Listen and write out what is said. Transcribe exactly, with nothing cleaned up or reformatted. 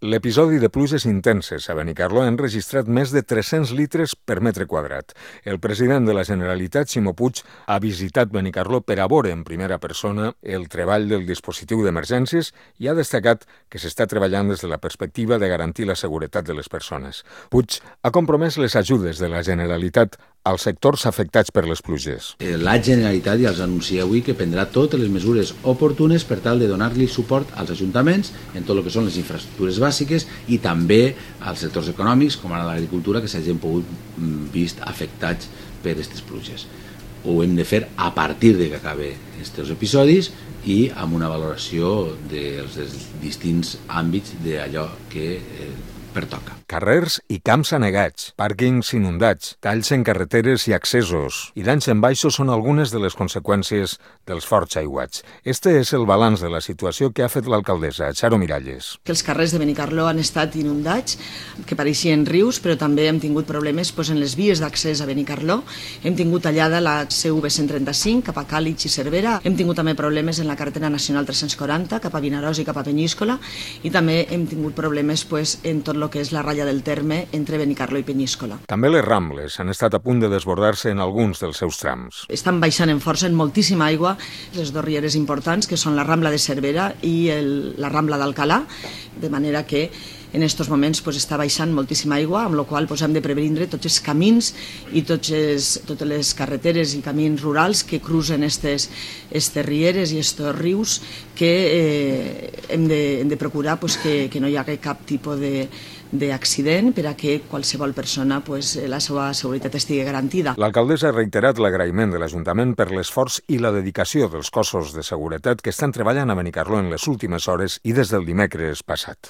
L'episodi de pluges intenses a Benicarló ha enregistrat més de tres-cents litres per metre quadrat. El president de la Generalitat, Ximo Puig, ha visitat Benicarló per a veure en primera persona el treball del dispositiu d'emergències i ha destacat que s'està treballant des de la perspectiva de garantir la seguretat de les persones. Puig ha compromès les ajudes de la Generalitat als sectors afectats per les pluges. La Generalitat ja els anuncia avui que prendrà totes les mesures oportunes per tal de donar-li suport als ajuntaments en tot el que són les infraestructures bàsiques i també als sectors econòmics, com ara l'agricultura, que s'hagin pogut vist afectats per aquestes pluges. Ho hem de fer a partir de que acabe aquests episodis i amb una valoració dels distints àmbits d'allò que eh, pertoca. Carrers i camps anegats, pàrquings inundats, talls en carreteres i accessos i danys en baixos són algunes de les conseqüències dels forts aiguats. Este és el balanç de la situació que ha fet l'alcaldessa, Charo Miralles. Que els carrers de Benicarló han estat inundats, que pareixien rius, però també hem tingut problemes doncs, en les vies d'accés a Benicarló. Hem tingut tallada la C V cent trenta-cinc cap a Càlig i Cervera. Hem tingut també problemes en la carretera nacional tres-cents quaranta cap a Vinaròs i cap a Penyíscola i també hem tingut problemes pues, en tot el que és la ratlla del terme entre Benicarló i Penyíscola. També les Rambles han estat a punt de desbordar-se en alguns dels seus trams. Estan baixant en força, en moltíssima aigua, les dues rieres importants, que són la Rambla de Cervera i el, la Rambla d'Alcalà, de manera que en aquests moments pues, està baixant moltíssima aigua, amb la qual cosa, hem de previndre tots els camins i tots els, totes les carreteres i camins rurals que cruzen aquestes rieres i aquests rius que eh, hem, de, hem de procurar pues, que, que no hi hagi cap tipus de d'accident per a que qualsevol persona pues, la seva seguretat estigui garantida. L'alcaldessa ha reiterat l'agraïment de l'Ajuntament per l'esforç i la dedicació dels cossos de seguretat que estan treballant a Benicarló en les últimes hores i des del dimecres passat.